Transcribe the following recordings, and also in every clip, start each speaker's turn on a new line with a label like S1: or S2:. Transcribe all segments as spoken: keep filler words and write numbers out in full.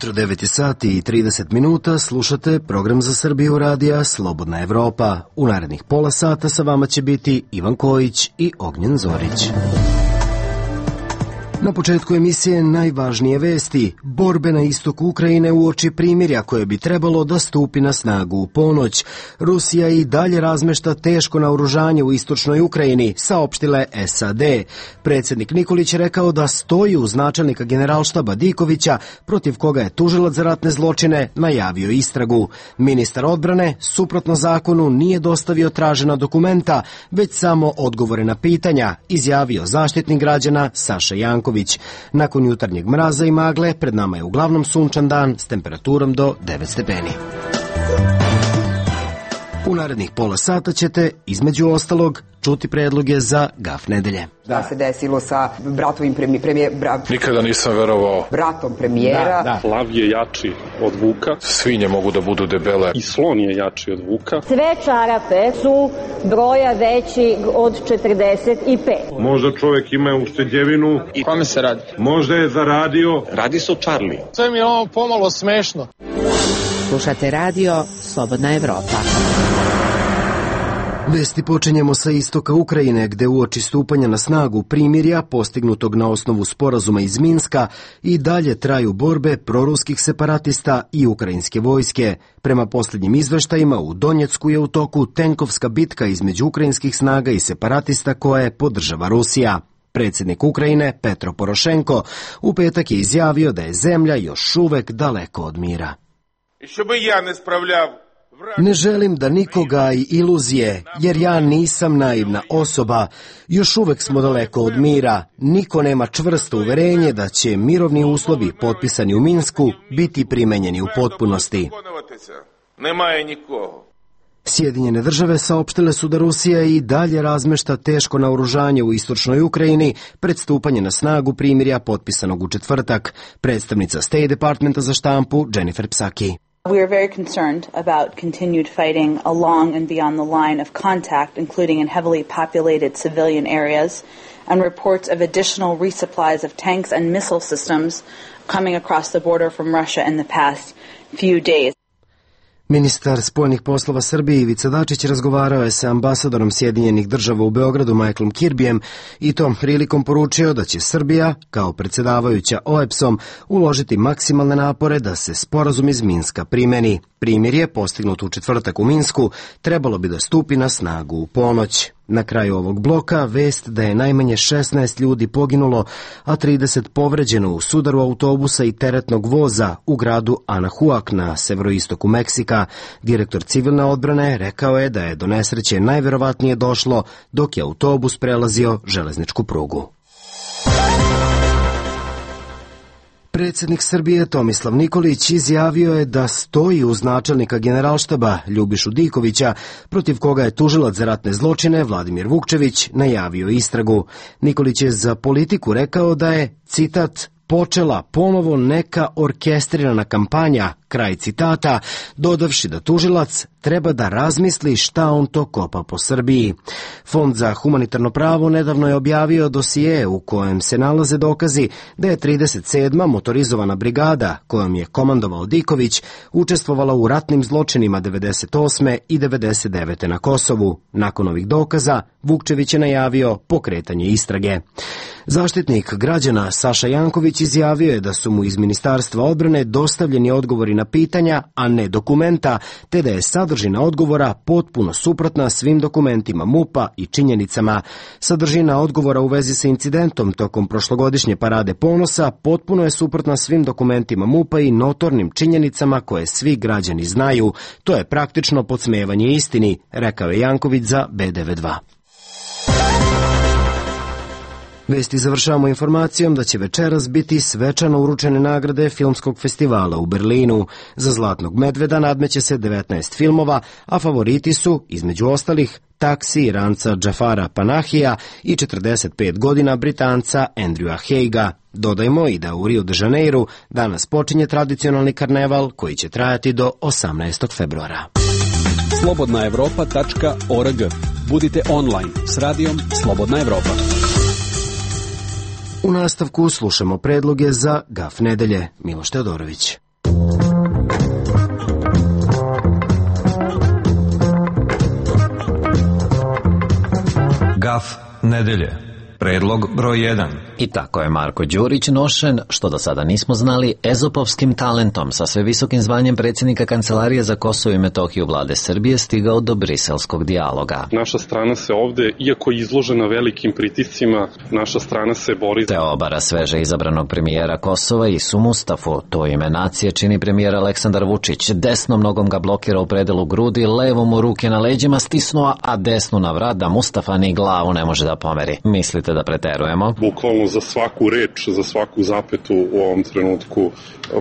S1: jutro, devet sati i trideset minuta, slušate program za Srbiju radija Slobodna Evropa. U narednih pola sata sa vama će biti Ivan Kojić i Ognjen Zorić. Na početku emisije najvažnije vesti. Borbe na istoku Ukrajine uoči primirja koje bi trebalo da stupi na snagu u ponoć. Rusija i dalje razmešta teško naoružanje u istočnoj Ukrajini, saopštile S A D. Predsjednik Nikolić rekao da stoji uz načelnika generalštaba Dikovića, protiv koga je tužilac za ratne zločine najavio istragu. Ministar odbrane, suprotno zakonu, nije dostavio tražena dokumenta, već samo odgovore na pitanja, izjavio zaštitnik građana Saša Janković. Nakon jutarnjeg mraza i magle, pred nama je uglavnom sunčan dan s temperaturom do devet stepeni. U narednih pola sata ćete, između ostalog, čuti predloge za gaf nedelje.
S2: Da se desilo sa bratovim premijer... Bra...
S3: Nikada nisam verovao.
S2: Bratom premijera.
S4: Da, da. Lav je jači od vuka.
S3: Svinje mogu da budu debele.
S4: I slon je jači od vuka.
S5: Sve čarape su broja veći od četrdeset pet.
S6: Možda čovjek ima ušteđevinu.
S7: I kome se radi?
S6: Možda je zaradio.
S7: Radi se o Charlie.
S8: Sve mi je ovo pomalo smešno.
S9: Slušate radio Slobodna Evropa.
S1: Vesti počinjemo sa istoka Ukrajine, gde uoči stupanja na snagu primirja, postignutog na osnovu sporazuma iz Minska, i dalje traju borbe proruskih separatista i ukrajinske vojske. Prema posljednjim izveštajima, u Donjecku je u toku tenkovska bitka između ukrajinskih snaga i separatista koje podržava Rusija. Predsjednik Ukrajine, Petro Porošenko, u petak je izjavio da je zemlja još uvek daleko od mira. Ne želim da nikoga i iluzije, jer ja nisam naivna osoba. Još uvek smo daleko od mira. Niko nema čvrsto uverenje da će mirovni uslovi potpisani u Minsku biti primenjeni u potpunosti. Sjedinjene države saopštile su da Rusija i dalje razmešta teško naoružanje u istočnoj Ukrajini pred stupanje na snagu primirja potpisanog u četvrtak. Predstavnica State Departmenta za štampu Jennifer Psaki.
S10: We are very concerned about continued fighting along and beyond the line of contact, including in heavily populated civilian areas, and reports of additional resupplies of tanks and missile systems coming across the border from Russia in the past few days.
S1: Ministar spoljnih poslova Srbije Ivica Dačić razgovarao je sa ambasadorom Sjedinjenih država u Beogradu Michaelom Kirbyjem i tom prilikom poručio da će Srbija, kao predsjedavajuća O E B S-om, uložiti maksimalne napore da se sporazum iz Minska primeni. Primirje, postignut u četvrtak u Minsku, trebalo bi da stupi na snagu u ponoć. Na kraju ovog bloka vest da je najmanje šesnaest ljudi poginulo, a trideset povređeno u sudaru autobusa i teretnog voza u gradu Anahuac na severoistoku Meksika. Direktor civilne odbrane rekao je da je do nesreće najverovatnije došlo dok je autobus prelazio železničku prugu. Predsjednik Srbije Tomislav Nikolić izjavio je da stoji uz načelnika generalštaba Ljubišu Dikovića, protiv koga je tužilac za ratne zločine Vladimir Vukčević najavio istragu. Nikolić je za Politiku rekao da je, citat, počela ponovo neka orkestrirana kampanja, kraj citata, dodavši da tužilac treba da razmisli šta on to kopa po Srbiji. Fond za humanitarno pravo nedavno je objavio dosije u kojem se nalaze dokazi da je trideset sedma motorizovana brigada, kojom je komandovao Diković, učestvovala u ratnim zločinima devedeset osme i devedeset devete na Kosovu. Nakon ovih dokaza, Vukčević je najavio pokretanje istrage. Zaštitnik građana Saša Janković izjavio je da su mu iz Ministarstva odbrane dostavljeni odgovori na pitanja, a ne dokumenta, te da je sadržina odgovora potpuno suprotna svim dokumentima M U P-a i činjenicama. Sadržina odgovora u vezi sa incidentom tokom prošlogodišnje parade ponosa potpuno je suprotna svim dokumentima M U P-a i notornim činjenicama koje svi građani znaju. To je praktično podsmevanje istini, rekao je Janković za B devedeset dva. Vesti završavamo informacijom da će večeras biti svečano uručene nagrade filmskog festivala u Berlinu. Za Zlatnog medveda nadmeće se devetnaest filmova, a favoriti su, između ostalih, Taksi Iranca Džafara Panahija i četrdeset pet godina Britanca Andrewa Haiga. Dodajmo i da u Rio de Janeiru danas počinje tradicionalni karneval koji će trajati do osamnaestog februara.
S11: slobodna evropa tačka org. Budite online s radijom Slobodna Evropa.
S1: U nastavku slušamo predloge za gaf nedelje. Miloš Teodorović.
S7: Graf nedelje. Predlog broj jedan.
S12: I tako je Marko Đurić nošen, što do sada nismo znali, ezopovskim talentom sa sve visokim zvanjem predsjednika Kancelarije za Kosovo i Metohiju vlade Srbije stigao do briselskog dijaloga.
S4: Naša strana se ovde, iako je izložena velikim pritiscima, naša strana se bori.
S12: Te obara sveže izabranog premijera Kosova Isu Mustafu. To ime nacije čini premijer Aleksandar Vučić. Desnom nogom ga blokira u predelu grudi, levom mu ruke na leđima stisnuo, a desnu na vrat da Mustafa ni glavu ne može da pomeri. Mislite da preterujemo?
S4: Bukvalno za svaku reč, za svaku zapetu u ovom trenutku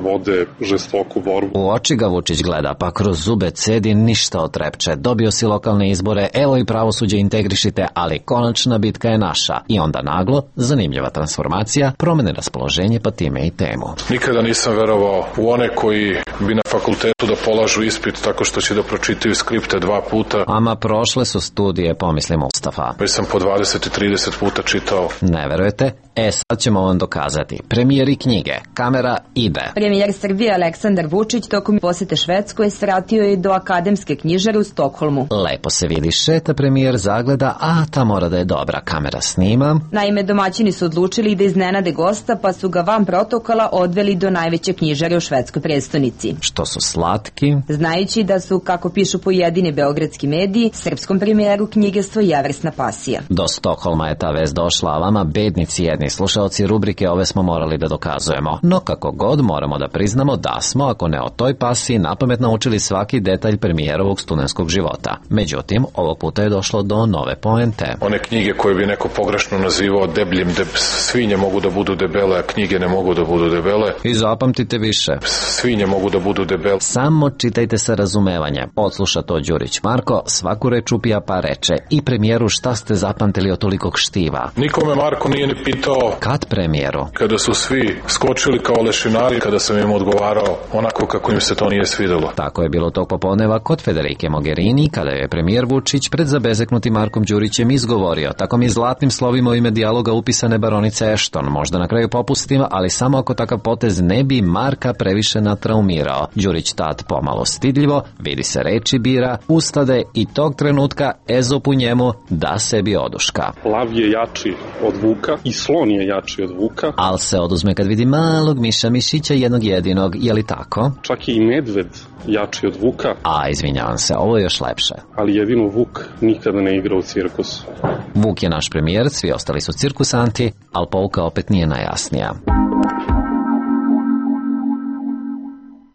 S4: vode žestoku borbu.
S12: U oči ga Vučić gleda, pa kroz zube cedi, ništa otrepče. Dobio si lokalne izbore, evo i pravosuđe integrišite, ali konačna bitka je naša. I onda naglo, zanimljiva transformacija, promene raspoloženje pa time i temu.
S3: Nikada nisam verovao u one koji bi na fakultetu da polažu ispit tako što će da pročitaju skripte dva puta.
S12: Ama prošle su studije, pomisli Mustafa.
S3: Već sam po dvadeset i trideset puta čitao.
S12: Ne verujete? E, sad ćemo vam dokazati. Premijeri knjige. Kamera ide.
S13: Premijer Srbije Aleksandar Vučić tokom posete Švedskoj svratio je do akademske knjižare u Stokholmu.
S12: Lepo se vidi, šeta premijer, zagleda, a ta mora da je dobra. Kamera snima.
S13: Naime, domaćini su odlučili da iznenade gosta, pa su ga van protokola odveli do najveće knjižare u švedskoj prestonici.
S12: Što su slatki.
S13: Znajući da su, kako pišu pojedini beogradski mediji, srpskom premijeru knjige svojevrsna pasija.
S12: Do Stokholma je ta vest došla, a vama bednici jedni slušaoci rubrike ove smo morali da dokazujemo. No kako god moramo da priznamo da smo, ako ne o toj pasiji, napamet naučili svaki detalj premijerovog studentskog života. Međutim, ovog puta je došlo do nove poente.
S3: One knjige koje bi neko pogrešno nazivao debljim, deb... svinje mogu da budu debele, a knjige ne mogu da budu debele.
S12: I zapamtite više.
S3: Svinje mogu da budu debele.
S12: Samo čitajte sa razumevanjem. Odsluša to Đurić Marko, svaku reč upija pa reče. I premijeru, šta ste zapamtili od tolikog štiva?
S3: Nikome Marko nije ni pitao.
S12: Kad premijeru?
S3: Kada su svi skočili kao lešinari, kada sam im odgovarao onako kako im se to nije svidelo.
S12: Tako je bilo tog popodneva kod Federike Mogherini, kada je premijer Vučić pred zabezeknutim Markom Đurićem izgovorio, tako mi zlatnim slovima u ime dijaloga upisane baronice Ashton, možda na kraju popustim, ali samo ako takav potez ne bi Marka previše natraumirao. Đurić tad pomalo stidljivo, vidi se reči bira, ustade i tog trenutka Ezop u njemu da sebi oduška.
S4: Lav je jači od vuka i slon je jači od vuka.
S12: Al se oduzme kad vidi malog miša mišića jednog jedinog, je li tako?
S4: Čak i medved jači od vuka.
S12: A, izvinjavam se, ovo je još lepše.
S4: Ali jedino vuk nikada ne igra u cirkusu.
S12: Vuk je naš premijer, svi ostali su cirkusanti, ali pouka opet nije najjasnija.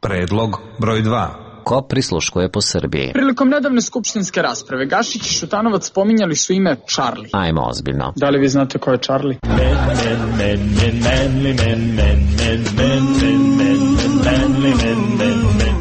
S7: Predlog broj dva.
S12: Ko prisluškuje po Srbiji?
S8: Prilikom nedavne skupštinske rasprave Gašić i Šutanovac spominjali su ime Charlie.
S12: Ajmo ozbiljno.
S8: Da li vi znate ko je Charlie?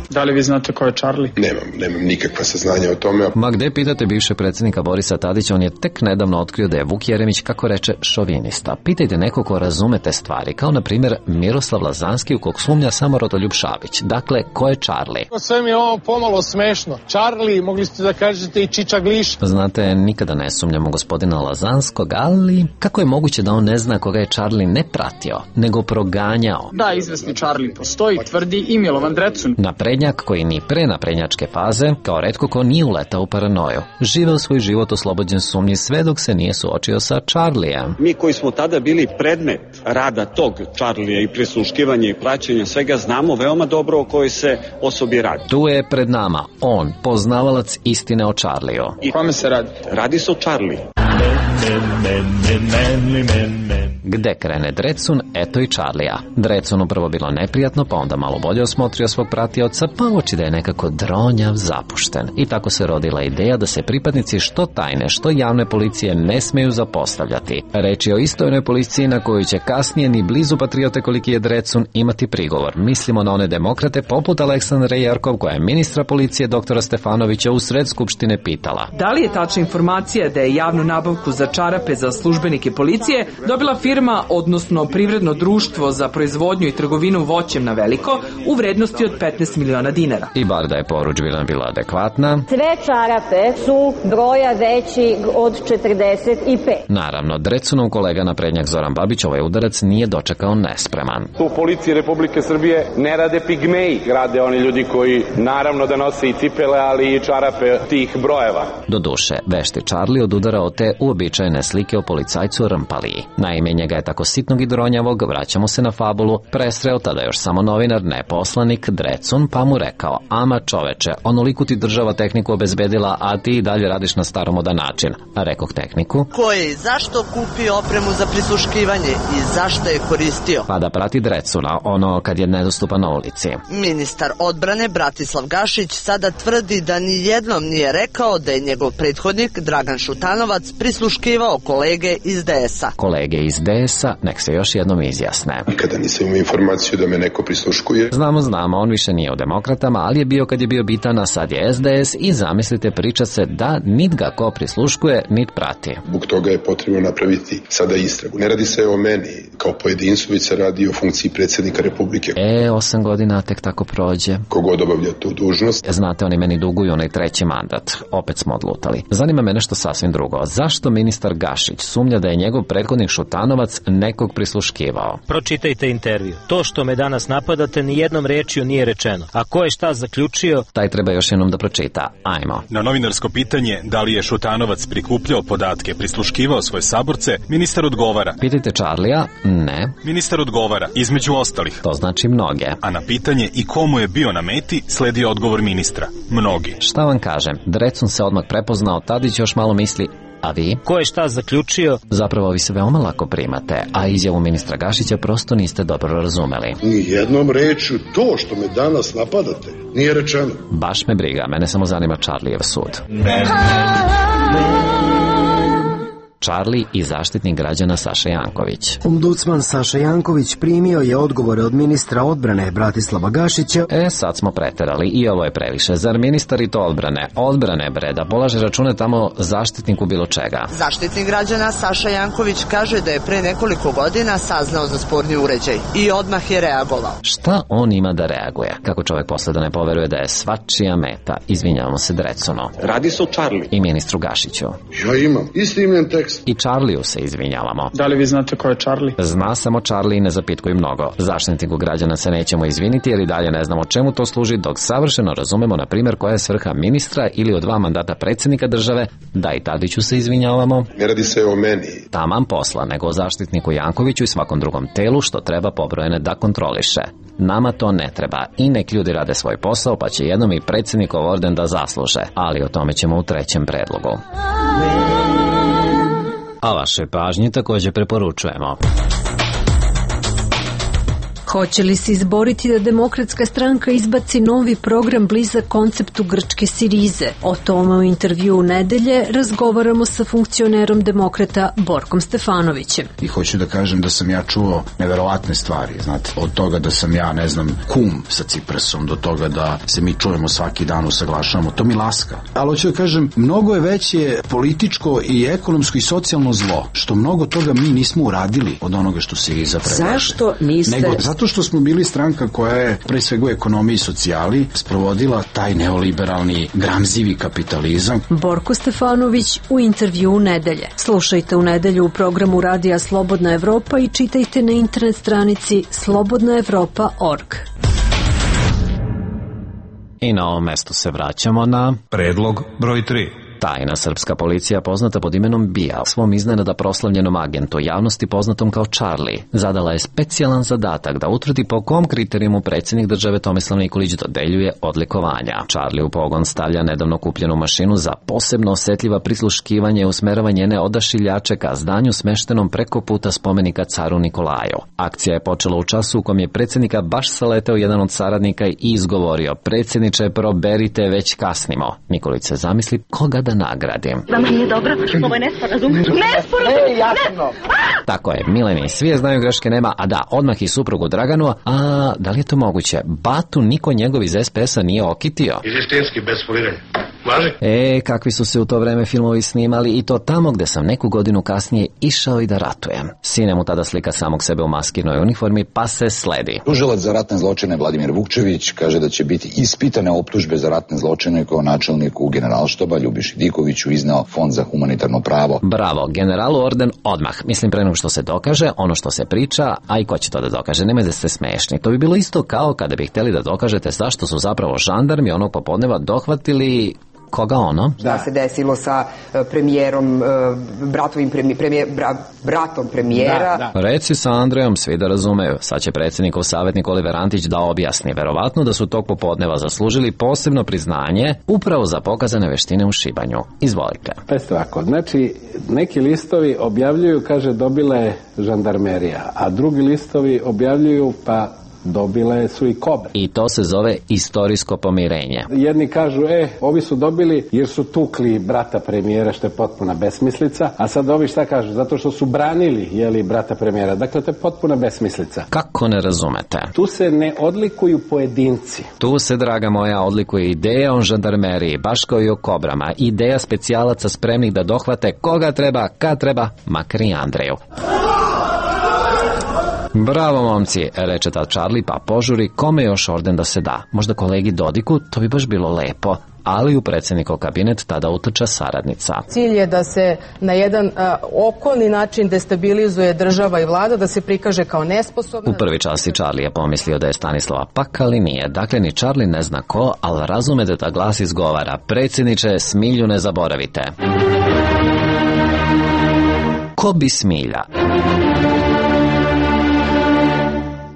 S8: Da li vi znate ko je Charlie?
S14: Nemam, nemam nikakva saznanja o tome.
S12: Ma gde pitate bivše predsjednika Borisa Tadića, on je tek nedavno otkrio da je Vuk Jeremić, kako reče, šovinista. Pitajte neko ko razume te stvari, kao na primjer Miroslav Lazanski, u kog sumnja samo Rodoljub Šabić. Dakle, ko je Charlie?
S8: Sve mi je ovo pomalo smešno. Charlie, mogli ste da kažete i Čiča Gliš.
S12: Znate, nikada ne sumnjamo gospodina Lazanskog, ali kako je moguće da on ne zna koga je Charlie ne pratio, nego proganjao?
S8: Da, izvesni Charlie postoji, tvrdi i Milovan Drecun.
S12: Naprednjak koji ni pre naprednjačke faze, kao retko ko nije uletao u paranoju. Živeo svoj život oslobođen sumnji sve dok se nije suočio sa Charlijem.
S15: Mi koji smo tada bili predmet rada tog Charlija i prisluškivanja i praćenja svega, znamo veoma dobro o kojoj se osobi radi.
S12: Tu je pred nama on, poznavalac istine o Charliju.
S8: I kome se radi?
S15: Radi se o Charliju.
S12: Gde krene Drecun, eto i Charlija. Drecunu prvo bilo neprijatno, pa onda malo bolje osmotrio svog pratioca, pa uoči da je nekako dronjav, zapušten. I tako se rodila ideja da se pripadnici što tajne, što javne policije ne smeju zapostavljati. Reč je o istojnoj policiji na koju će kasnije ni blizu patriote koliki je Drecun imati prigovor. Mislimo na one demokrate poput Aleksandre Jerkov, koja je ministra policije doktora Stefanovića u sred skupštine pitala.
S16: Da li je tačna informacija da je javnu nabavku za čarape za službenike policije dobila firma firma, odnosno privredno društvo za proizvodnju i trgovinu voćem na veliko u vrednosti od petnaest miliona dinara.
S12: I bar da je poručbina bila adekvatna,
S5: sve čarape su broja veći od četrdeset pet.
S12: Naravno, Drecunov kolega naprednjak Zoran Babić ovaj udarac nije dočekao nespreman.
S17: U policiji Republike Srbije ne rade pigmeji, rade oni ljudi koji naravno da nose i cipele, ali i čarape tih brojeva.
S12: Doduše, vešti Charlie odudarao te uobičajene slike o policajcu Rmpaliji. Naime, njega je tako sitnog i dronjavog, vraćamo se na fabulu, presreo tada još samo novinar, ne poslanik, Drecun, pa mu rekao: ama čoveče, onoliku ti država tehniku obezbedila, a ti i dalje radiš na staromodan način. A rekoh tehniku:
S18: ko je i zašto kupio opremu za prisluškivanje i zašto je koristio?
S12: Pa da prati Drecuna, ono kad je nedostupan na ulici.
S18: Ministar odbrane Bratislav Gašić sada tvrdi da ni jednom nije rekao da je njegov prethodnik Dragan Šutanovac prisluškivao kolege iz D S-a.
S12: Kolege iz D S-a, nek se još jednom izjasne.
S14: Nikada nisam imao informaciju da me neko prisluškuje.
S12: Znamo, znamo, on više nije u demokratama, ali je bio kad je bio bitan, a sad je S D S i zamislite, priča se da nit ga ko prisluškuje, nit prati.
S14: Zbog toga je potrebno napraviti sada istragu. Ne radi se o meni kao pojedincu, već se radi o funkciji predsjednika Republike.
S12: E, osam godina tek tako prođe.
S14: Kogod obavlja tu dužnost.
S12: Znate, oni meni duguju onaj treći mandat. Opet smo odlutali. Zanima me nešto sasvim drugo. Zašto ministar Gašić sumnja da je njegov prethodnik Šutanovac nekog prisluškivao?
S19: Pročitajte intervju. To što me danas napadate ni jednom rečju nije rečeno. A ko je šta zaključio?
S12: Taj treba još jednom da pročita. Ajmo.
S20: Na novinarsko pitanje da li je Šutanovac prikupljao podatke, prisluškivao svoje saborce, ministar odgovara.
S12: Pitajte Charlija, ne.
S20: Ministar odgovara, između ostalih.
S12: To znači mnoge.
S20: A na pitanje i komu je bio na meti, sledi odgovor ministra. Mnogi.
S12: Šta vam kažem, Drecun se odmah prepoznao, Tadić još malo misli, a vi?
S19: Ko je šta zaključio?
S12: Zapravo vi se veoma lako primate, a izjavu ministra Gašića prosto niste dobro razumeli.
S21: Ni jednom rečju to što me danas napadate nije rečeno.
S12: Baš me briga, mene samo zanima Charlijev sud. Charlie i zaštitnik građana Saša Janković.
S1: Ombudsman Saša Janković primio je odgovore od ministra odbrane Bratislava Gašića.
S12: E, sad smo preterali i ovo je previše. Zar ministar i to odbrane? Odbrane bre, da polaže račune tamo zaštitniku bilo čega.
S18: Zaštitnik građana Saša Janković kaže da je pre nekoliko godina saznao za sporni uređaj i odmah je reagovao.
S12: Šta on ima da reaguje? Kako čovjek posle da ne poveruje da je svačija meta? Izvinjavamo se Drecuno.
S15: Radi se o Charlie.
S12: I ministru Gašiću.
S21: Ja imam isti imljen tekst.
S12: I Charliju se izvinjavamo.
S8: Da li vi znate ko je Charlie?
S12: Zna samo Charlie i ne zapitkuj mnogo. Zaštitniku građana se nećemo izviniti jer i dalje ne znamo čemu to služi, dok savršeno razumemo, na primjer, koja je svrha ministra ili od dva mandata predsjednika države. Da, i Tadiću se izvinjavamo.
S14: Ne radi se o meni.
S12: Taman posla, nego o zaštitniku Jankoviću i svakom drugom telu što treba pobrojene da kontroliše. Nama to ne treba i nek ljudi rade svoj posao, pa će jednom i predsjednikov orden da zasluže. Ali o tome ćemo u trećem predlogu. A vaše pažnje također preporučujemo.
S22: Hoće li se izboriti da Demokratska stranka izbaci novi program blizak konceptu grčke Sirize? O tome u intervju u nedelje razgovaramo sa funkcionerom demokrata Borkom Stefanovićem.
S23: I hoću da kažem da sam ja čuo neverovatne stvari, znate, od toga da sam ja, ne znam, kum sa Ciprasom, do toga da se mi čujemo svaki dan, usaglašavamo, to mi laska. Ali hoću da kažem, mnogo je veće političko i ekonomsko i socijalno zlo, što mnogo toga mi nismo uradili od onoga što Siriza predlaže.
S22: Zašto niste...
S23: Nego, zato što smo bili stranka koja je pre svega u ekonomiji i socijali sprovodila taj neoliberalni gramzivi kapitalizam.
S22: Borko Stefanović u intervju u nedelje. Slušajte u nedelju u programu Radija Slobodna Evropa i čitajte na internet stranici slobodna evropa tačka org.
S12: I na ovom mestu se vraćamo na
S7: predlog broj tri.
S12: Tajna srpska policija, poznata pod imenom BIA, svom iznenada proslavljenom agentu, javnosti poznatom kao Charlie, zadala je specijalan zadatak da utvrdi po kom kriterijumu predsjednik države Tomislav Nikolić dodeljuje odlikovanja. Charlie u pogon stavlja nedavno kupljenu mašinu za posebno osjetljiva prisluškivanja i usmeravanje njene odašiljače ka zdanju smeštenom preko puta spomenika caru Nikolaju. Akcija je počela u času u kom je predsjednika baš saleteo jedan od saradnika i izgovorio: predsjedniče, proberite, već kasnimo. Nikolić se zamisli koga da nagradim.
S2: Vama nije dobro, ovo je nesporazum. Nesporazum!
S6: Ne, jasno!
S12: Tako je, Mileni, svi znaju greške nema, a da, odmah i suprugu Draganu, a da li je to moguće? Batu niko njegov iz es pe es a nije okitio.
S21: Izistinski, bez foliranja. Važi?
S12: E, kakvi su se u to vreme filmovi snimali i to tamo gde sam neku godinu kasnije išao i da ratujem. Sine mu tada slika samog sebe u maskinoj uniformi, pa se sledi.
S9: Tužilac za ratne zločine Vladimir Vukčević kaže da će biti ispitane optužbe za ratne zločine koje načelniku Generalštaba Ljubiši Dikoviću izneo Fond za humanitarno pravo.
S12: Bravo, generalu orden odmah. Mislim pre nego što se dokaže, ono što se priča, a i ko će to da dokaže, nemoj da ste smešni. To bi bilo isto kao kada bi hteli da dokažete zašto su zapravo žandarmi onog popodneva dohvatili koga ono?
S24: Da se desilo sa premijerom, bratovim premijer, premijer, bra, bratom premijera.
S12: Da, da. Reci sa Andrejom, svi da razumeju. Sad će predsjednikov savjetnik Oliver Antić da objasni. Verovatno da su tog popodneva zaslužili posebno priznanje upravo za pokazane veštine u šibanju. Izvolite.
S25: Pa je ovako, znači neki listovi objavljuju, kaže, dobila je žandarmerija, a drugi listovi objavljuju, pa dobile su i kobre.
S12: I to se zove istorijsko pomirenje.
S25: Jedni kažu, e, ovi su dobili jer su tukli brata premijera, što je potpuna besmislica, a sad ovi šta kažu? Zato što su branili, jeli, brata premijera. Dakle, to je potpuna besmislica.
S12: Kako ne razumete?
S25: Tu se ne odlikuju pojedinci.
S12: Tu se, draga moja, odlikuje ideja o žandarmeriji, baš kao i o kobrama. Ideja specijalaca spremnih da dohvate koga treba, kad treba, makar i Andreju. Bravo, momci, reče tad Charlie, pa požuri, kome još orden da se da? Možda kolegi Dodiku, to bi baš bilo lepo. Ali u predsjednikov kabinet tada utrča saradnica.
S26: Cilj je da se na jedan a, okolni način destabilizuje država i vlada, da se prikaže kao nesposobna.
S12: U prvi čas i Charlie je pomislio da je Stanislava pak, ali nije. Dakle, ni Charlie ne zna ko, ali razume da ta glas izgovara. Predsjedniče, Smilju ne zaboravite. Ko bi Smilja?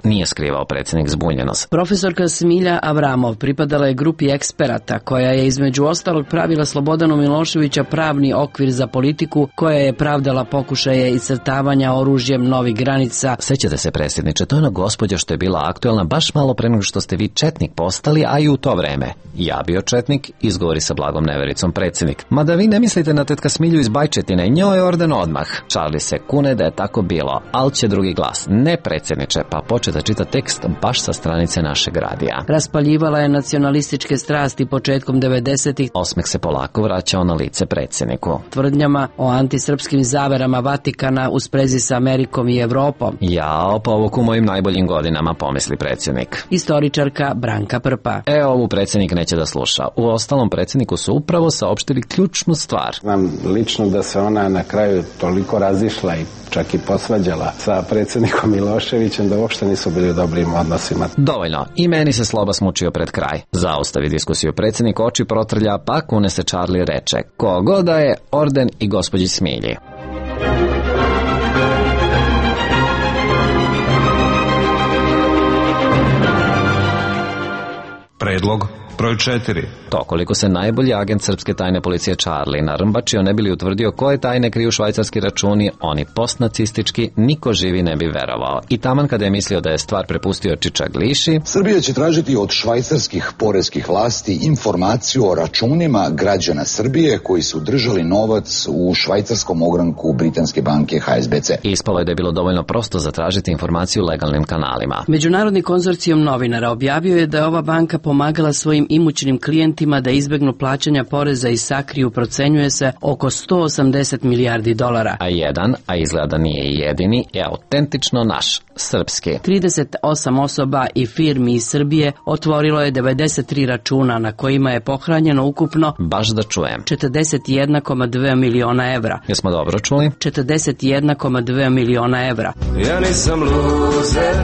S12: Nije skrivao predsjednik zbunjenost.
S27: Profesorka Smilja Avramov pripadala je grupi eksperata koja je između ostalog pravila Slobodanu Miloševića pravni okvir za politiku, koja je pravdala pokušaje iscrtavanja oružjem novih granica.
S12: Sećate se, predsjedniče, to je ona gospođa što je bila aktuelna baš malo pre nego što ste vi četnik postali, a i u to vreme. Ja bio četnik, izgovori sa blagom nevericom predsjednik. Mada vi ne mislite na tetka Smilju iz Bajčetine, njoj je orden odmah. Charlie se kune da je tako bilo, ali će drugi glas. Ne, predsjedniče, pa počne da čita tekst baš sa stranice našeg radija.
S27: Raspaljivala je nacionalističke strasti početkom devedesetih.
S12: Osmeh se polako vraćao na lice predsjedniku.
S27: Tvrdnjama o antisrpskim zaverama Vatikana u sprezi sa Amerikom i Evropom.
S12: Jao, povuk u mojim najboljim godinama, pomisli predsjednik.
S27: Istoričarka Branka Prpa.
S12: E, ovu predsjednik neće da sluša. U ostalom predsjedniku su upravo saopštili ključnu stvar.
S25: Znam lično da se ona na kraju toliko razišla i čak i posvađala sa predsjednikom Miloševićem da uopšte nisu bili u dobrim odnosima.
S12: Dovoljno. I meni se Sloba smučio pred kraj. Zaustavi diskusiju predsjednik, oči protrlja, pa kune se Charlie reče: kogo da je orden i gospođi Smilji.
S7: Predlog broj četiri.
S12: To koliko se najbolji agent srpske tajne policije Charlie narmbačio ne bi li utvrdio koje tajne kriju švajcarski računi, oni postnacistički, niko živi ne bi verovao. I taman kada je mislio da je stvar prepustio Čiča Gliši,
S9: Srbija će tražiti od švajcarskih poreskih vlasti informaciju o računima građana Srbije koji su držali novac u švajcarskom ogranku britanske banke ha es be ce.
S12: Ispalo je da je bilo dovoljno prosto zatražiti informaciju legalnim kanalima.
S27: Međunarodni konzorcijum novinara objavio je da je ova banka pomagala svojim imućnim klijentima da izbegnu plaćanja poreza i sakriju, procenjuje se, oko sto osamdeset milijardi dolara.
S12: A jedan, a izgleda nije i jedini, je autentično naš, srpski.
S27: trideset osam osoba i firmi iz Srbije otvorilo je devedeset tri računa na kojima je pohranjeno ukupno,
S12: baš da čujem,
S27: četrdeset jedan zarez dva miliona evra.
S12: Jesmo dobro čuli?
S27: četrdeset jedan zarez dva miliona evra.
S28: Ja nisam luzer,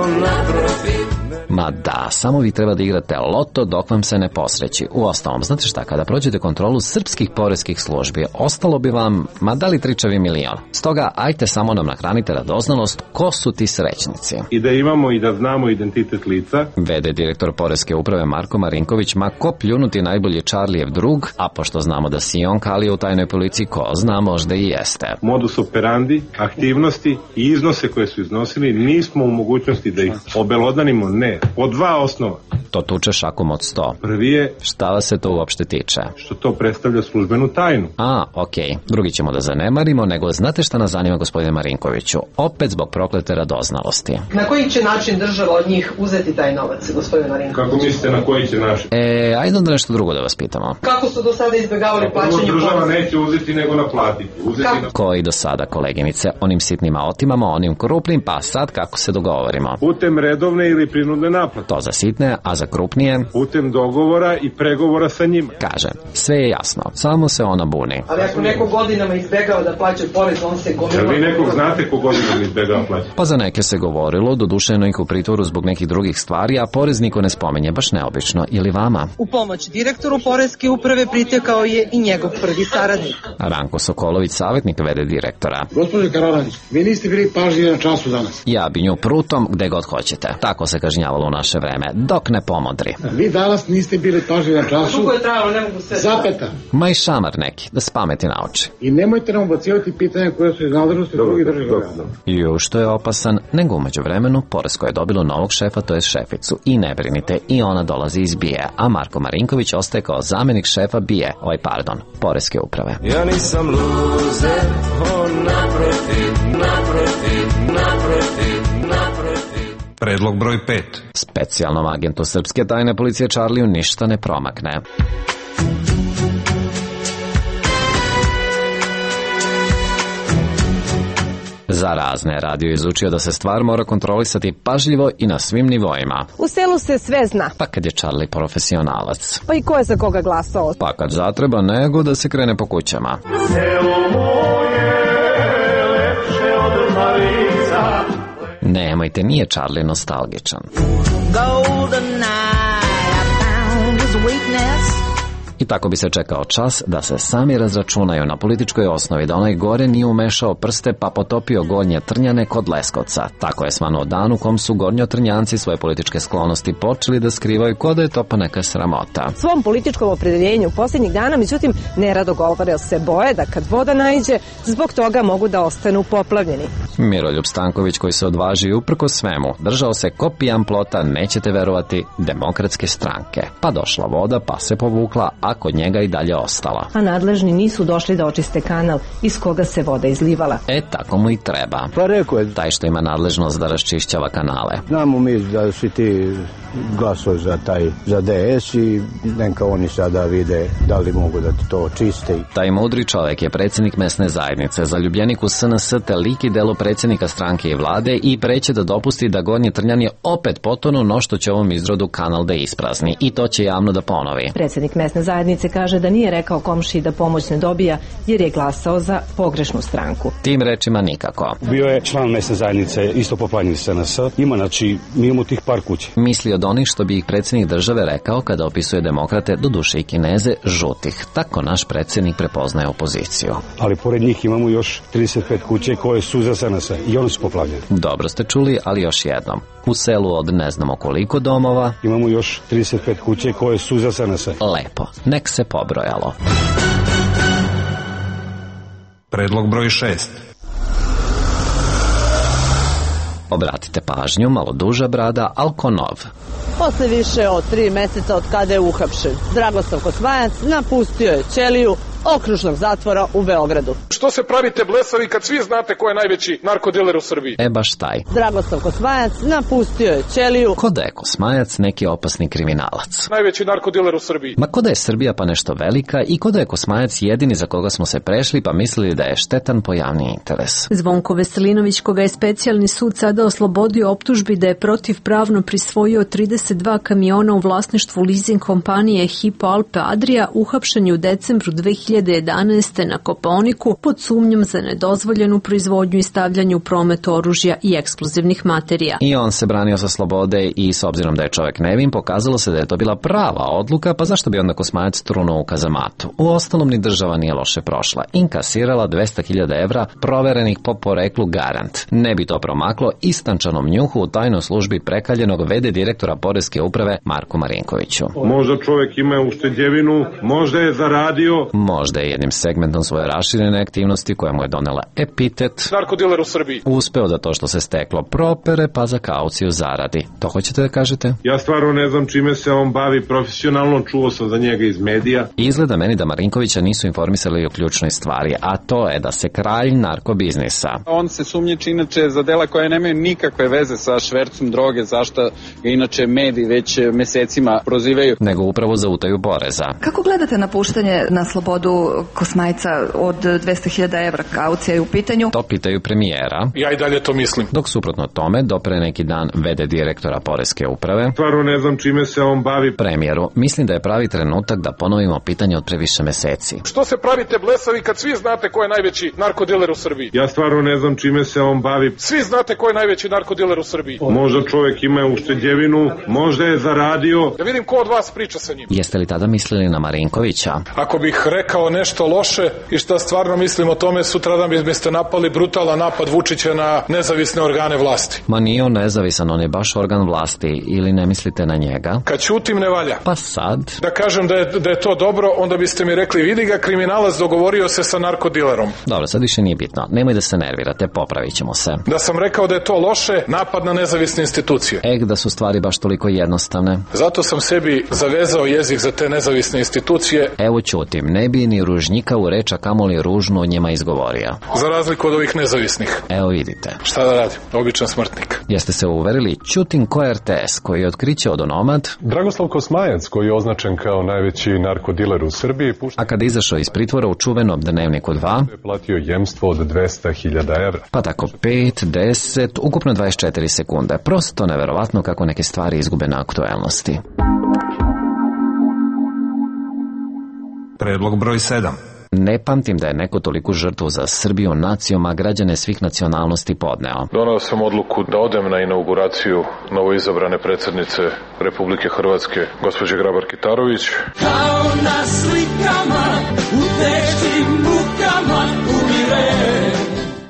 S28: on naprotiv.
S12: Ma da, samo vi treba da igrate loto dok vam se ne posreći. Uostalom, znate šta, kada prođete kontrolu srpskih poreskih službi, ostalo bi vam, ma da li tričavi milion. Stoga, ajte samo nam nahranite radoznalost, ko su ti srećnici.
S29: I da imamo i da znamo identitet lica.
S12: Vede direktor poreske uprave Marko Marinković, ma ko pljunuti najbolji Charlijev drug, a pošto znamo da si on kalio u tajnoj policiji, ko zna, možda i jeste.
S29: Modus operandi, aktivnosti i iznose koje su iznosili, nismo u mogućnosti da ih obelodanimo, ne. Po dva osnova.
S7: To tuče šakom od sto.
S29: Prvi je...
S7: Šta vas se to uopšte tiče?
S29: Što to predstavlja službenu tajnu.
S7: A, okej. Okay. Drugi ćemo da zanemarimo, nego znate šta nas zanima, gospodine Marinkoviću? Opet zbog proklete radoznalosti.
S26: Na koji će način država od njih uzeti taj novac, gospodine Marinković?
S29: Kako mislite na koji će način?
S7: E, ajde onda nešto drugo da vas pitamo.
S26: Kako su do sada izbjegavali plaćanje poreza?
S29: Država neće uzeti nego naplatiti. Uzeti na...
S7: Koji do sada, koleginice? Onim sitnima otimamo, onim krupnim, pa sad kako se dogovorimo?
S29: Putem redovne ili prinudne naplate.
S7: To za sitne, a za krupnije?
S29: Putem dogovora i pregovora sa njima.
S7: Kaže, sve je jasno, samo se ona buni.
S26: Ali ako neko godinama izbjegava da plaća porez, on se gomila...
S29: Jel vi nekog znate ko godinama izbjegava plaća?
S7: Pa za neke se govorilo, dodušeno ih u pritvoru zbog nekih drugih stvari, a porez niko ne spominje, baš neobično, ili vama?
S26: U pomoć direktoru Poreske uprave pritekao je i njegov prvi saradnik.
S7: Ranko Sokolović, savjetnik v d direktora.
S3: Gospodin Karolanić, vi niste bili pažljivi na času danas.
S7: Ja bi nju prutom gde god hoćete. Tako se kažnjavalo u naše vreme, dok ne pomodri.
S3: Vi danas niste bili pažljivi na času.
S26: Dugo je trajalo, ne mogu sve.
S3: Zapeta.
S7: Ma i šamar neki, da s pameti nauči.
S3: I nemojte nam ubacivati pitanja koje su iz nadležnosti drugih država.
S7: Ju, što je opasan, nego umeđu vremenu Poresko je dobilo novog šefa, to je šeficu. I ne brinite, i ona dolazi iz B I E, a Marko Marinković ostaje kao zamenik šefa B I E, oj pardon, Poreske uprave.
S28: Ja nisam luzer, on naprotiv, naprotiv, naprotiv, naprotiv.
S7: Predlog broj pet. Specijalnom agentu srpske tajne policije Čarliju ništa ne promakne. Za razne radio izučio da se stvar mora kontrolisati pažljivo i na svim nivoima.
S4: U selu se sve zna.
S7: Pa kad je Charlie profesionalac.
S4: Pa i ko je za koga glasao?
S7: Pa kad zatreba nego da se krene po kućama.
S28: Selo moje lepše od Marica.
S7: Nemojte, nije Charlie nostalgičan.
S4: Golden night, I found his weakness.
S7: I tako bi se čekao čas da se sami razračunaju na političkoj osnovi da onaj gore nije umešao prste pa potopio Gornje Trnjane kod Leskovca. Tako je svanuo dan u kom su Gornjotrnjanci svoje političke sklonosti počeli da skrivaju kod da je to pa neka sramota.
S4: Svom političkom opredeljenju posljednjih dana, međutim, nerado govore se boje da kad voda naiđe, zbog toga mogu da ostanu poplavljeni.
S7: Miroljub Stanković, koji se odvaži uprko svemu, držao se ko pijan plota, nećete verovati, Demokratske stranke. Pa došla voda, pa se povukla, a kod njega i dalje ostala.
S4: A nadležni nisu došli da očiste kanal iz koga se voda izlivala.
S7: E, tako mu i treba.
S5: Pa rekao je.
S7: Taj što ima nadležnost da raščišćava kanale.
S5: Znamo mi da svi ti glasovi za taj, za D S i neka oni sada vide da li mogu da to očiste.
S7: Taj mudri čovjek je predsjednik mesne zajednice, zaljubljenik u S N S te lik i delo predsjednika stranke i vlade i preće da dopusti da Gornji Trnjani opet potonu, no što će ovom izrodu kanal da isprazni. I to će javno da ponovi.
S4: Predsjednik mesne zajednice kaže da nije rekao komšiji da pomoć ne dobija jer je glasao za pogrešnu stranku.
S7: Tim rečima nikako.
S6: Bio je član mesne zajednice isto poplanjen S N S. Ima, znači, mi imamo tih par kuće.
S7: Misli od onih što bi ih predsjednik države rekao kada opisuje demokrate, do duše i Kineze, žutih. Tako naš predsjednik prepoznaje opoziciju.
S6: Ali pored njih imamo još trideset pet kuće koje su za S N S i one su poplavljene.
S7: Dobro ste čuli, ali još jednom. U selu od ne znamo koliko domova
S6: imamo još trideset pet kuće koje su za S N S.
S7: Lepo, nek se pobrojalo.
S10: Predlog broj šest.
S7: Obratite pažnju, malo duža brada, Alkonov.
S18: Posle više od tri meseca od kada je uhapšen, Dragoslav Kosmajac napustio je ćeliju okružnog zatvora u Beogradu.
S11: Što se pravite blesavi kad svi znate ko je najveći narkodiler u Srbiji?
S7: E baš taj.
S18: Dragoslav Kosmajac napustio je ćeliju.
S7: Ko da je Kosmajac neki opasni kriminalac?
S11: Najveći narkodiler u Srbiji.
S7: Ma ko da je Srbija pa nešto velika i ko da je Kosmajac jedini za koga smo se prešli pa mislili da je štetan po javni interes.
S22: Zvonko Veselinović, koga je specijalni sud sada oslobodio optužbi da je protivpravno prisvojio trideset dva kamiona u vlasništvu leasing kompanije Hypo Alpe Adria, uhapšen je u decembru dve hiljade jedanaeste. na Kopaoniku pod sumnjom za nedozvoljenu proizvodnju i stavljanje u promet oružja i eksplozivnih materija.
S7: I on se branio sa slobode i s obzirom da je čovjek nevin, pokazalo se da je to bila prava odluka, pa zašto bi onda Kosmajac trunuo u kazamatu? U ostalom ni država nije loše prošla. Inkasirala dvesta hiljada evra proverenih po poreklu garant. Ne bi to promaklo istančanom njuhu u tajnoj službi prekaljenog v d direktora Poreske uprave Marku Marinkoviću.
S11: Možda čovjek ima ušteđevinu, možda je zaradio.
S7: Možda možda je jednim segmentom svoje raširene aktivnosti koja mu je donela epitet
S11: narkodiler u Srbiji
S7: uspeo da to što se steklo propere pa za kauciju zaradi. To hoćete da kažete?
S29: Ja stvarno ne znam čime se on bavi profesionalno, čuo sam za njega iz medija.
S7: Izgleda meni da Marinkovića nisu informisali o ključnoj stvari, a to je da se kralj narkobiznisa.
S1: On se sumnjiči inače za dela koje nemaju nikakve veze sa švercom droge, zašto ga inače mediji već mesecima prozivaju.
S7: Nego upravo za utaju poreza.
S8: Kako gledate na puštanje na slobodu Kosmajca od dvesta hiljada evra kaucija je u pitanju?
S7: To pitaju premijera.
S11: Ja i dalje to mislim.
S7: Dok suprotno tome, do pre neki dan vede direktora Poreske uprave.
S29: Stvarno ne znam čime se on bavi.
S7: Premijeru, mislim da je pravi trenutak da ponovimo pitanje od previše meseci.
S11: Što se pravite blesavi kad svi znate ko je najveći narkodiler u Srbiji?
S29: Ja stvarno ne znam čime se on bavi.
S11: Svi znate ko je najveći narkodiler u Srbiji.
S29: Možda čovjek ima ušteđevinu, možda je zaradio.
S11: Ja vidim ko od vas priča sa njim.
S7: Jeste li tada mislili na Marinkovića?
S11: Ako bih rekao nešto loše i šta stvarno mislim o tome, sutradan biste napali brutalan napad Vučića na nezavisne organe vlasti.
S7: Ma nije on nezavisan, on je baš organ vlasti, ili ne mislite na njega?
S11: Kad ćutim ne valja.
S7: Pa sad?
S11: Da kažem da je, da je to dobro, onda biste mi rekli, vidi ga, kriminalac dogovorio se sa narkodilerom.
S7: Dobro, sad više nije bitno. Nemoj da se nervirate, popravit ćemo se.
S11: Da sam rekao da je to loše, napad na nezavisne institucije.
S7: Ek, da su stvari baš toliko jednostavne.
S11: Zato sam sebi zavezao jezik za te nezavisne institucije.
S7: Evo ćutim, ne bi ni ružnjika u reč, a kamoli ružnu o njima izgovorio.
S11: Za razliku od ovih nezavisnih.
S7: Evo vidite.
S11: Šta da radim? Običan smrtnik.
S7: Jeste se uverili? Ćutim ko je R T S, koji je otkriće odonomad
S13: Dragoslav Kosmajac, koji je označen kao najveći narkodiler u Srbiji, pušta...
S7: a kada izašao iz pritvora u čuvenom Dnevniku dva,
S13: je platio jemstvo od dvesta hiljada evra.
S7: Pa tako pet, deset, ukupno dvadeset četiri sekunde. Prosto neverovatno kako neke stvari izgube na aktuelnosti.
S10: Predlog broj sedam.
S7: Ne pamtim da je neko toliku žrtvu za Srbiju, nacijom, a građane svih nacionalnosti podneo.
S11: Donao sam odluku da odem na inauguraciju novoizabrane predsjednice Republike Hrvatske, gospođe Grabar-Kitarović.
S28: Kao na slikama, u teškim mukama umire.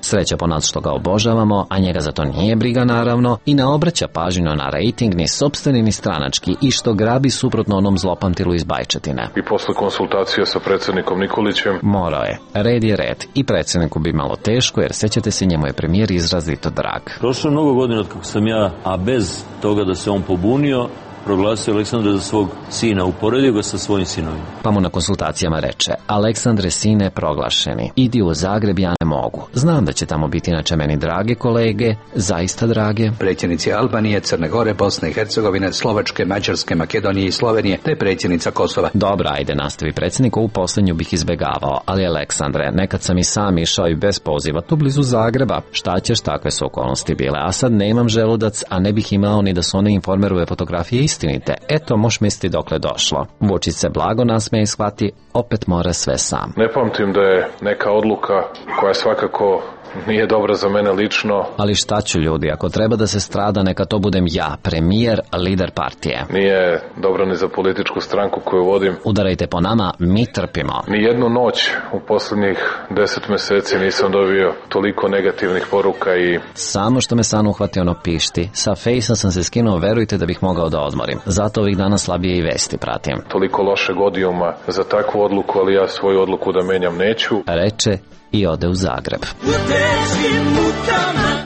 S7: Sreća po nas što ga obožavamo, a njega za to nije briga naravno, i ne obraća pažnju na rejting ni sopstveni ni stranački, i što grabi suprotno onom zlopamtilu iz Bajčetine.
S11: I posle konsultacije sa predsjednikom Nikolićem
S7: morao je. Red je red. I predsjedniku bi malo teško, jer sećate se, njemu je premijer izrazito drag.
S14: Prošlo je mnogo godina od kako sam ja, a bez toga da se on pobunio, proglasio Aleksandra za svog sina, uporedio ga sa svojim sinovima.
S7: Pa mu na konsultacijama reče: Aleksandre, sine proglašeni, idi u Zagreb, ja ne mogu. Znam da će tamo biti inače meni drage kolege, zaista drage.
S15: Predsjednici Albanije, Crne Gore, Bosne i Hercegovine, Slovačke, Mađarske, Makedonije i Slovenije, te predsjednica Kosova.
S7: Dobra, ajde, nastavi predsjednik, ovu poslednju bih izbegavao, ali Aleksandre, nekad sam i sam išao i bez poziva tu blizu Zagreba. Šta ćeš, takve su okolnosti bile, a sad nemam želudac, a ne bih imao ni da su one Informerove fotografije istinite. Eto, moš misliti dokle došlo. Vučić se blago nasmeje i shvati, opet mora sve sam.
S11: Ne pamtim da je neka odluka koja svakako nije dobra za mene lično.
S7: Ali šta ću, ljudi, ako treba da se strada, neka to budem ja, premijer, lider partije.
S11: Nije dobra ni za političku stranku koju vodim.
S7: Udarajte po nama, mi trpimo.
S11: Ni jednu noć u posljednjih deset meseci nisam dobio toliko negativnih poruka i...
S7: Samo što me san uhvati ono pišti. Sa fejsa sam se skinuo, verujte da bih mogao da odmorim. Zato ovih dana slabije i vesti pratim.
S11: Toliko lošeg odijuma za takvu odluku, ali ja svoju odluku da menjam neću.
S7: Reče i ode u Zagreb.
S28: U teškim mukama.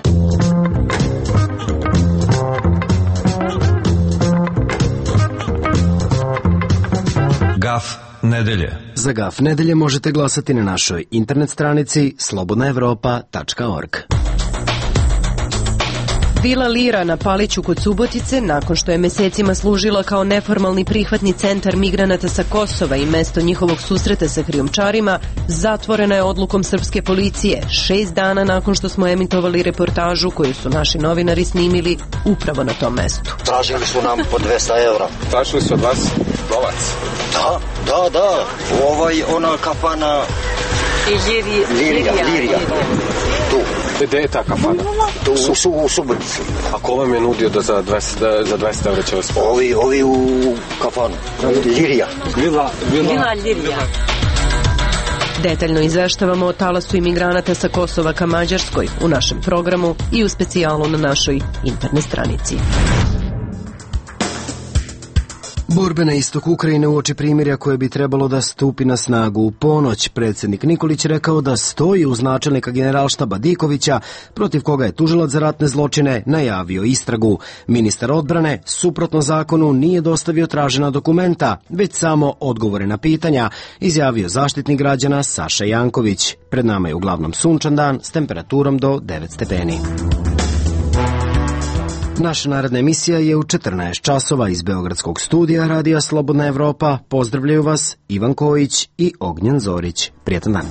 S10: Gaf nedelje.
S16: Za Gaf nedelje možete glasati na našoj internet stranici slobodna evropa tačka org.
S4: Vila Lira na Paliću kod Subotice, nakon što je mesecima služila kao neformalni prihvatni centar migranata sa Kosova i mesto njihovog susreta sa krijumčarima, zatvorena je odlukom srpske policije, šest dana nakon što smo emitovali reportažu koju su naši novinari snimili upravo na tom mestu.
S17: Tražili su nam po dvesta evra.
S11: Tražili su od vas novac?
S17: Da, da, da. Ovaj, ona kafana...
S4: Lirija.
S17: Lirija, Lirija. Tu.
S16: Gde je ta kafana?
S17: Tu u, su, u Subotici.
S16: A ko vam je nudio da za dvesta, za dvesta evra će vas pomoći?
S17: Ovi, ovi u kafanu. Lirija.
S16: Vila, vila.
S4: Vila Lirija. Detaljno izveštavamo o talasu imigranata sa Kosova ka Mađarskoj u našem programu i u specijalu na našoj internet stranici.
S16: Borbe na istoku Ukrajine uoči primirja koje bi trebalo da stupi na snagu u ponoć. Predsjednik Nikolić rekao da stoji uz načelnika generalštaba Dikovića, protiv koga je tužilac za ratne zločine najavio istragu. Ministar odbrane, suprotno zakonu, nije dostavio tražena dokumenta, već samo odgovore na pitanja, izjavio zaštitnik građana Saša Janković. Pred nama je uglavnom sunčan dan s temperaturom do devet stepeni. Naša naredna emisija je u četrnaest časova iz Beogradskog studija Radija Slobodna Evropa. Pozdravljaju vas Ivan Kojić i Ognjen Zorić. Prijetan dan.